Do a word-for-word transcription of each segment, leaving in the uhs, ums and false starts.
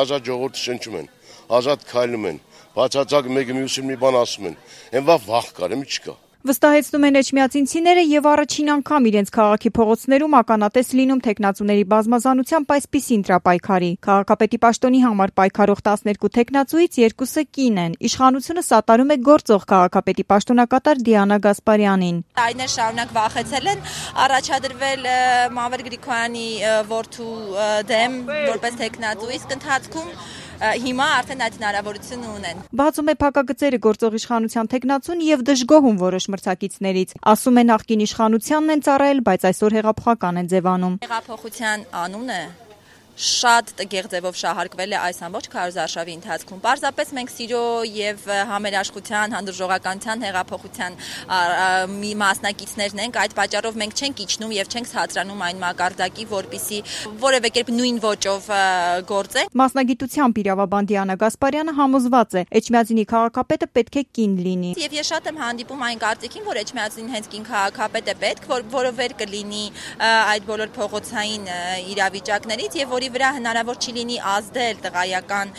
Ազատ ժողովուրդը շնչում են, ազատ քայլում են, բացարձակ մեկը մյուսին մի բան ասում են, այն վաղ վախ կար, մի չկա։ Վստահեցնում են էջմիածինցիները եւ առաջին անգամ իրենց քաղաքի փողոցներում ականատես լինում թեկնածուների բազմազանությամբ այսպիսի ընտրապայքարի։ Քաղաքապետի պաշտոնի համար պայքարող տասներկու թեկնածուից երկուսը կին են։ Իշխանությունը սատարում է գործող քաղաքապետի պաշտոնակատար Դիանա Գասպարյանին։ Տարիներ շարունակ վախեցել են առաջադրվել Մանվել Գրիգորյանի որդու դեմ որպես թեկնածու, իսկ ընթացքում հիմա արդեն այդ հնարավորությունը ունեն։ Բացում է փակագծերը գործող իշխանության թեկնածուն եւ դժգոհում որոշ մրցակիցներից։ Ասում է նախկին իշխանությանն են ծառայել, բայց այսօր հեղափոխական են ձևանում։ Հեղափոխության անունը շատ տգեղ ձևով շահարկվել է այս ամբողջ քարոզարշավի ընթացքում։ Պարզապես մենք սիրո եւ համերաշխության, հանդուրժողականության, հեղափոխության մի մասնակիցներն ենք, այդ պատճառով մենք չենք իջնում եւ չենք հացրանում այն մակարդակի, որպիսի որևէ կերպ նույն ոճով գործենք։ Մասնագիտությամբ իրավաբան Դիանա Գասպարյանը համոզված է, Էջմիածինի քաղաքապետը պետք է կին լինի։ Եվ ես շատ եմ հանդիպում այն կարծիքին, որ Էջմիածինին հենց կին քաղաքապետ է պետք, որ որովեր կլինի այդ բոլոր փողոցային իրավիճակներից եւ որի վրա հնարավոր չի լինի ազդել տղայական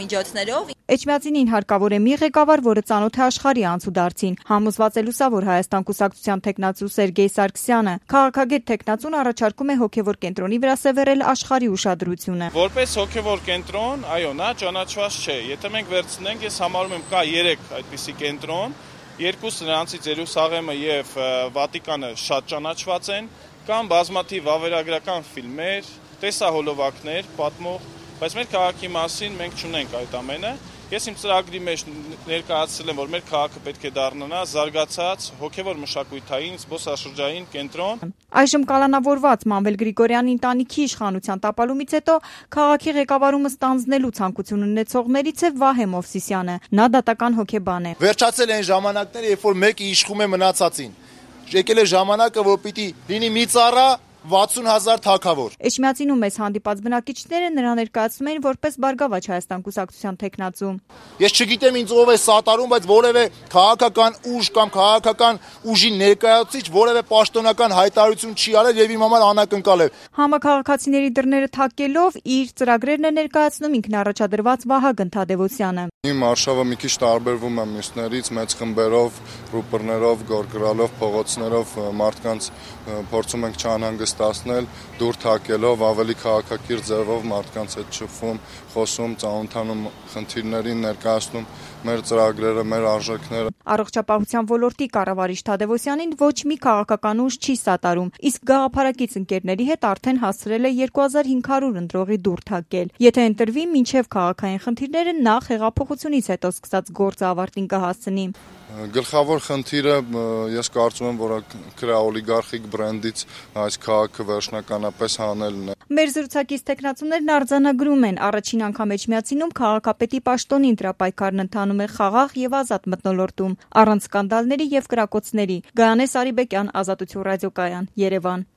միջոցներով։ Էջմիածինին հարկավոր է մի ղեկավար, որը ծանոթ է աշխարհի անցուդարձին։ Համոզված է լուսավոր Հայաստան կուսակցության թեկնածու Սերգեյ Սարգսյանը։ Քաղաքագետ թեկնածուն առաջարկում է հոգևոր կենտրոնի վրա սևեռել աշխարհի ուշադրությունը։ Որպես հոգևոր կենտրոն, այո, նա ճանաչված չէ։ Եթե մենք վերցնենք, ես համարում եմ կա երեք այդպիսի կենտրոն, երկուսը նրանցից Երուսաղեմը եւ Վատիկանը շատ ճանաչված են, կան բազմաթիվ վավերագրական ֆիլմեր, տեսահոլովակներ, պատմող, բայց մեր քաղաքի մասին մենք չունենք այդ ամենը։ Ես իմ ծրագրի մեջ ներկայացրել եմ, որ մեր քաղաքը պետք է դառնա զարգացած հոգևոր մշակութային զբոսաշրջային կենտրոն։ Այժմ կալանավորված Մանվել Գրիգորյանի ընտանիքի իշխանության տապալումից հետո քաղաքի ղեկավարումը ստանձնելու ցանկություն ունեցողներից է Վահե Մովսիսյանը։ Նա դատական հոգեբան է։ Վերջացել են ժամանակները, երբ որ մեկը իշխում է մնացածին։ Եկել է ժամանակը, որ պիտի լինի մի ծառա վաթսուն հազար թագավոր։ Էջմիածինում մեծ հանդիպած բնակիչները նրան ներկայացնում են որպես Բարգավաճ Հայաստան կուսակցության թեկնածու։ Ես չգիտեմ ինձ ով է սատարում, բայց որևէ քաղաքական ուժ կամ քաղաքական ուժի ներկայացուցիչ որևէ պաշտոնական հայտարարություն չի արել եւ իմ համար անակնկալ է։ Համաքաղաքացիների դռները թակելով իր ծրագրերն է ներկայացնում ինքն առաջադրված Վահագն Թադևոսյանը։ Իմ արշավը մի քիչ տարբերվում է մյուսներից, մեծ խմբերով, ռուպորներով, գորգրալով, փողոցներով մարդկանց փորձում ենք չանհանգստացնել, դուր թակելով, ավելի քաղաքակիրթ ձևով մարդկանց հետ շփվում, խոսում, ծանոթանում խնդիրներին, ներկայացնում մեր ծրագրերը, մեր արժեքները։ Առողջապահության ոլորտի կառավարիչ Թադևոսյանին ոչ մի քաղաքական ուժ չի սատարում, իսկ գաղափարակից ընկերների հետ արդեն հասցրել է երկու հազար հինգ հարյուր ընտրողի դուր թակել։ Եթե ընտրվի, մինչև քաղաքային խնդիրները նախ հեղափոխությունից հետո սկսած գործը ավարտին կհասցնի։ Գլխավոր խնդիրը ես կարծում եմ, որ քրաօլիգարխիկ բրենդից այս քաղաքը վերջնականապես հանելն է։ Մեր զրուցակից թեկնածուներն արձանագրում են, առաջին անգամ Էջմիածինում քաղաքապետի պաշտոնի ընտրապայքարն ընթանում է խաղաղ եւ ազատ մթնոլորտում, առանց սկանդալների եւ կրակոցների։ Գայանե Սարիբեկյան, Ազատություն ռադիոկայան, Երևան։